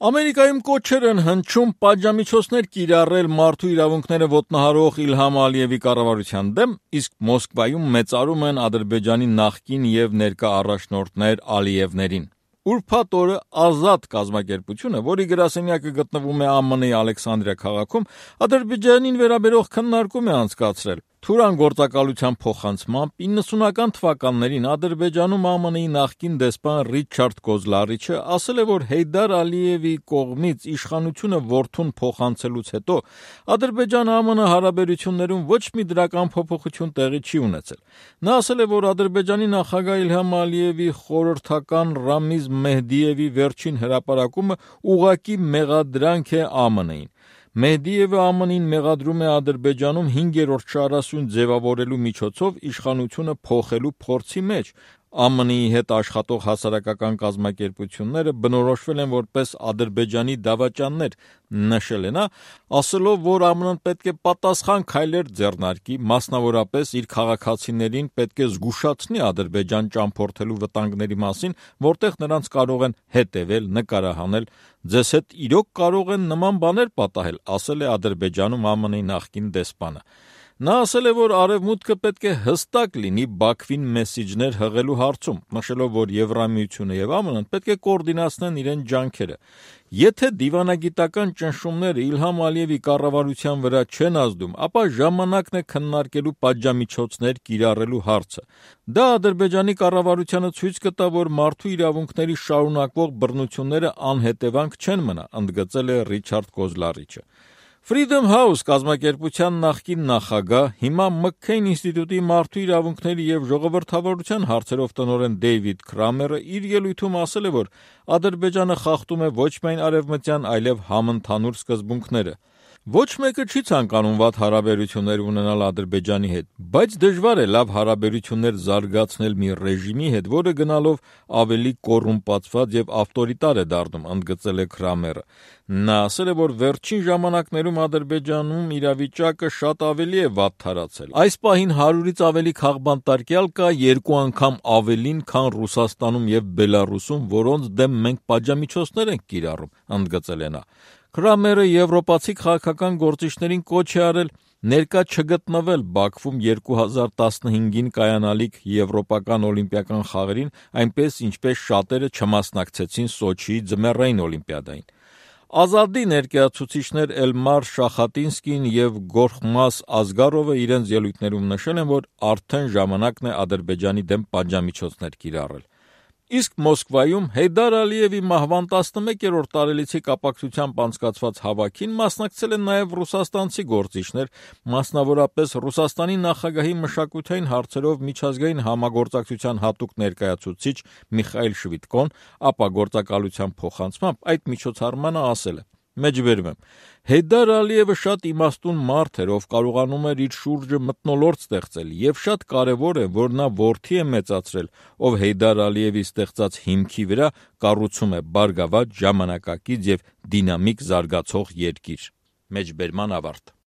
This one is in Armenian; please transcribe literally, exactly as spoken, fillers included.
Ամերիկայում կոչեր են հնչում պատժամիջոցներ կիրառել մարդու իրավունքները ոտնահարող Իլհամ Ալիևի կառավարության դեմ, իսկ Մոսկվայում մեծարում են Ադրբեջանի նախկին և ներկա առաջնորդներ Ալիևներին։ Ուրբաթ օրը Ազատ կազմակերպությունը, որի գրասենյակը գտնվում է ԱՄՆ-ի Ալեքսանդրիա քաղաքում, Ադրբեջանին վերաբերող քննարկում է անցկացրել։ Թուրան գործակալության փոխանցմամբ իննսունական թվականներին Ադրբեջանում ԱՄՆ-ի նախկին դեսպան Ռիչարդ Կոզլարիչը ասել է, որ Հեյդար Ալիևի կողմից իշխանությունը որդուն փոխանցելուց հետո Ադրբեջան-ԱՄՆ հարաբերություններում ոչ մի դրական փոփոխություն տեղի չի ունեցել։ Նա ասել է, որ Ադրբեջանի նախագահ Իլհամ Ալիևի խորհրդական Ռամիզ Մեհդիևի վերջին հրապարակումը ուղղակի մեղադրանք է ԱՄՆ-ին։ Մեհդիևը ԱՄՆ-ին մեղադրում է Ադրբեջանում հինգերորդ շարասյուն ձևավորելու միջոցով իշխանությունը փոխելու փորձի մեջ։ ԱՄՆ-ի հետ աշխատող հասարակական կազմակերպությունները բնորոշվել են որպես Ադրբեջանի դավաճաններ, նշել է նա, ասելով, որ ԱՄՆ-ն պետք է պատասխան քայլեր ձեռնարկի, մասնավորապես իր քաղաքացիներին պետք է զգուշացնի Ադրբեջան ճամփորդելու վտանգների մասին, որտեղ նրանց կարող են հետևել, նկարահանել, ձեզ հետ իրոք կարող են նման բաներ պատահել, ասել է Ադրբեջանում ԱՄՆ-ի նախկին դեսպանը։ Նա ասել է, որ Արևմուտքը պետք է հստակ լինի Բաքվին մեսիջներ հղելու հարցում, նշելով, որ Եվրամիությունը և ԱՄՆ-ն պետք է կոորդինացնեն իրենց ջանքերը։ Եթե դիվանագիտական ճնշումները Իլհամ Ալիևի կառավարության վրա չեն ազդում, ապա ժամանակն է քննարկելու պատժամիջոցներ կիրառելու հարցը։ Դա Ադրբեջանի կառավարությանը ցույց կտա, որ մարդու իրավունքների շարունակվող բռնությունները անհետևանք չեն մնա, ընդգծել է Ռիչարդ Կոզլարիչը։ Freedom House կազմակերպության նախկին նախագահ, հիմա Մքքեյն ինստիտուտի մարդու իրավունքների և ժողովրդավարության հարցերով տնօրեն Դեյվիդ Քրամերը իր ելույթում ասել է, որ Ադրբեջանը խախտում է ոչ միայն արևմտյան, այլև համընդհանուր սկզբունքները։ Ոչ մեկը չի ցանկանում վատ հարաբերություններ ունենալ Ադրբեջանի հետ, բայց դժվար է լավ հարաբերություններ զարգացնել մի ռեժիմի հետ, որը գնալով ավելի կոռումպացված և ավտորիտար է դառնում, ընդգծել է Քրամերը։ Նա ասել է, որ վերջին ժամանակներում Ադրբեջանում իրավիճակը շատ ավելի է վատթարացել։ Այս պահին հարյուրից ավելի քաղբանտարկյալ կա, երկու անգամ ավելին, քան Ռուսաստանում և Բելառուսում, որոնց դեմ մենք պատժամիջոցներ ենք կիրառում, ընդգծել է նա։ Քրամերը եվրոպացի քաղաքական գործիչներին կոչ է արել ներկա չգտնվել Բաքվում երկու հազար տասնհինգին կայանալիք եվրոպական օլիմպիական խաղերին, այնպես ինչպես շատերը չմասնակցեցին Սոչիի ձմեռային օլիմպիադային։ Ազադի ներկայացուցիչներ Էլմար Շախատինսկին և Գորխմաս Ազգարովը իրենց ելույթներում նշել են, որ արդեն ժամանակն է Ադրբեջանի դեմ պատժամիջոցներ կիրառել։ Իսկ Մոսկվայում Հեյդար Ալիևի մահվան տասնմեկերորդ տարելիցի կապակցությամբ անցկացված հավաքին մասնակցել են նաև ռուսաստանցի գործիչներ, մասնավորապես Ռուսաստանի նախագահի մշակութային հարցերով միջազգային համագործակցության հատուկ ներկայացուցիչ Միխայիլ Շվիդկոն, ապա գործակալության փոխանցմամբ այդ միջոցառմանը ասել է. Մեջբերում եմ, Հեյդար Ալիևը շատ իմաստուն մարդ էր, ով կարողանում էր իր շուրջը մթնոլորտ ստեղծել, և շատ կարևոր է, որ նա որդի է մեծացրել, ով Հեյդար Ալիևի ստեղծած հիմքի վրա կառուցում է բարգավաճ, ժամանակակից և դինամիկ զարգացող երկիր։ Մեջբերման ավարտ։